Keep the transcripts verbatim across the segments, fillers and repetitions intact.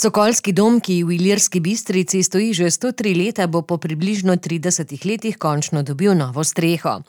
Sokolski dom, ki v Ilirski Bistrici stoji že sto tri leta, bo po približno tridesetih letih končno dobil novo streho.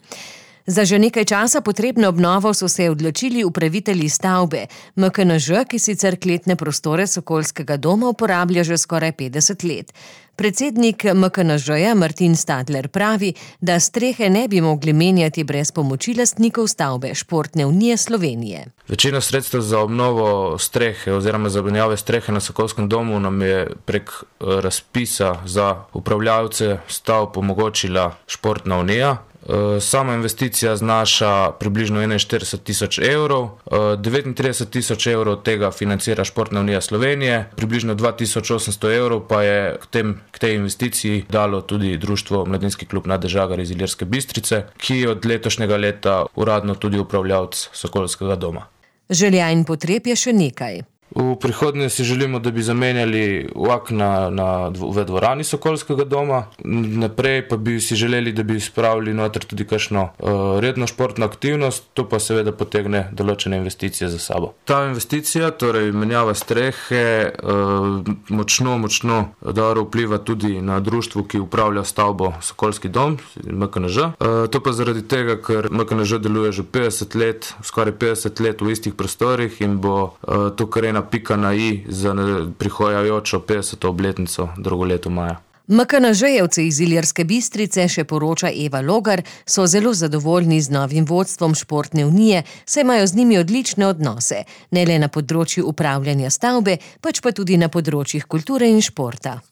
Za že nekaj časa potrebno obnovo so se odločili upravitelji stavbe. M K N Ž, ki sicer kletne prostore Sokolskega doma uporablja že skoraj petdeset let. Predsednik M K N Ž-ja Martin Stadler pravi, da strehe ne bi mogli menjati brez pomoči lastnikov stavbe Športne unije Slovenije. Večina sredstev za obnovo strehe oziroma za menjave strehe na Sokolskem domu nam je prek razpisa za upravljavce stavb omogočila Športna unija. Sama investicija znaša približno enainštirideset tisoč evrov, devetintrideset tisoč evrov tega financira Športna unija Slovenije, približno dva tisoč osemsto evrov pa je k, tem, k tej investiciji dalo tudi društvo Mladinski klub Nade Žagar iz Ilirske Bistrice, ki je od letošnjega leta uradno tudi upravljavec Sokolskega doma. Želja in potreb je še nekaj. V prihodnje si želimo, da bi zamenjali vlakna na, v dvorani Sokolskega doma, naprej pa bi si želeli, da bi spravili noter tudi kakšno uh, redno športno aktivnost, to pa seveda potegne določene investicije za sabo. Ta investicija, torej menjava strehe, uh, močno, močno dobro vpliva tudi na društvo, ki upravlja stavbo Sokolski dom, M K N Ž. Uh, to pa zaradi tega, ker M K N Ž deluje že petdeset let, skoraj petdeset let v istih prostorih in bo uh, to kar ena pika na i za prihajajočo petdeseto obletnico drugo leto maja. M K N Ž-jevci iz Ilirske Bistrice, še poroča Eva Logar, so zelo zadovoljni z novim vodstvom Športne unije, saj imajo z njimi odlične odnose, ne le na področju upravljanja stavbe, pač pa tudi na področjih kulture in športa.